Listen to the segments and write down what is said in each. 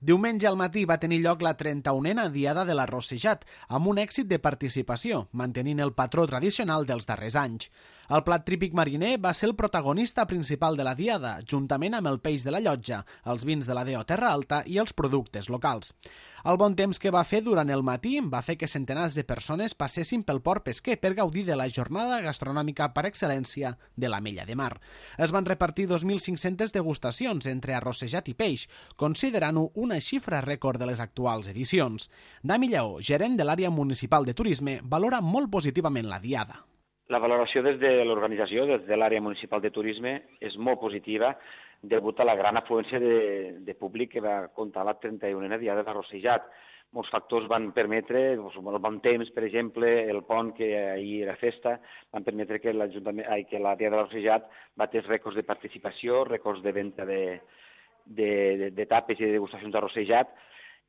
Diumenge al matí va tenir lloc la 31a Diada de l'Arrossejat, amb un èxit de participació, mantenint el patró tradicional dels darrers anys. El plat típic mariner va ser el protagonista principal de la Diada, juntament amb el peix de la llotja, els vins de la Deo Terra Alta i els productes locals. El bon temps que va fer durant el matí va fer que centenars de persones passessin pel port pesquer per gaudir de la jornada gastronòmica per excel·lència de l'Ametlla de Mar. Es van repartir 2.500 degustacions entre arrossejat i peix, considerant-ho una xifra rècord de les actuals edicions. Dami Lleó, gerent de l'àrea municipal de turisme, valora molt positivament la Diada. La valoració des de l'organització, des de l'àrea municipal de turisme, és molt positiva degut a la gran afluència de públic que va comptar la 31a Diada d'Arrossejat. Molts factors van permetre, el bon temps, per exemple, el pont, que ahir era festa, van permetre que la Diada d'Arrossejat batés rècords de participació, rècords de venda de tapes i de degustacions d'arrossejat,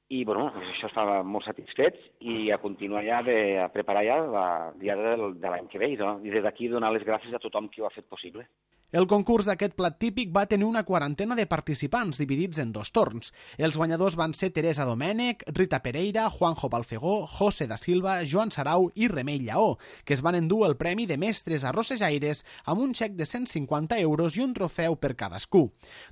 i això està molt satisfets i a continuar a preparar ja la Diada de l'any que ve, i des d'aquí donar les gràcies a tothom qui ho ha fet possible. El concurs d'aquest plat típic va tenir una quarantena de participants dividits en 2 torns. Els guanyadors van ser Teresa Domènech, Rita Pereira, Juanjo Balfegó, José da Silva, Joan Sarau i Remei Lleó, que es van endur el premi de mestres arrossejaires amb un xec de 150 euros i un trofeu per cadascú.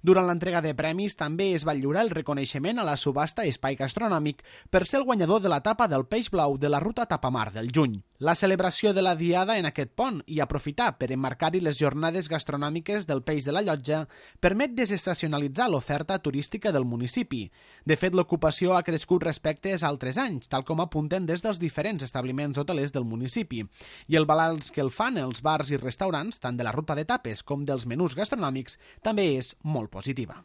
Durant l'entrega de premis també es va lliurar el reconeixement a la subhasta Espai Gastronòmic per ser el guanyador de la tapa del peix blau de la ruta Tapamar del juny. La celebració de la Diada en aquest pont i aprofitar per emmarcar-hi les jornades gastronòmiques del peix de la llotja permet desestacionalitzar l'oferta turística del municipi. De fet, l'ocupació ha crescut respecte als altres anys, tal com apunten des dels diferents establiments hotelers del municipi. I el balanç que el fan els bars i restaurants, tant de la ruta de tapes com dels menús gastronòmics, també és molt positiva.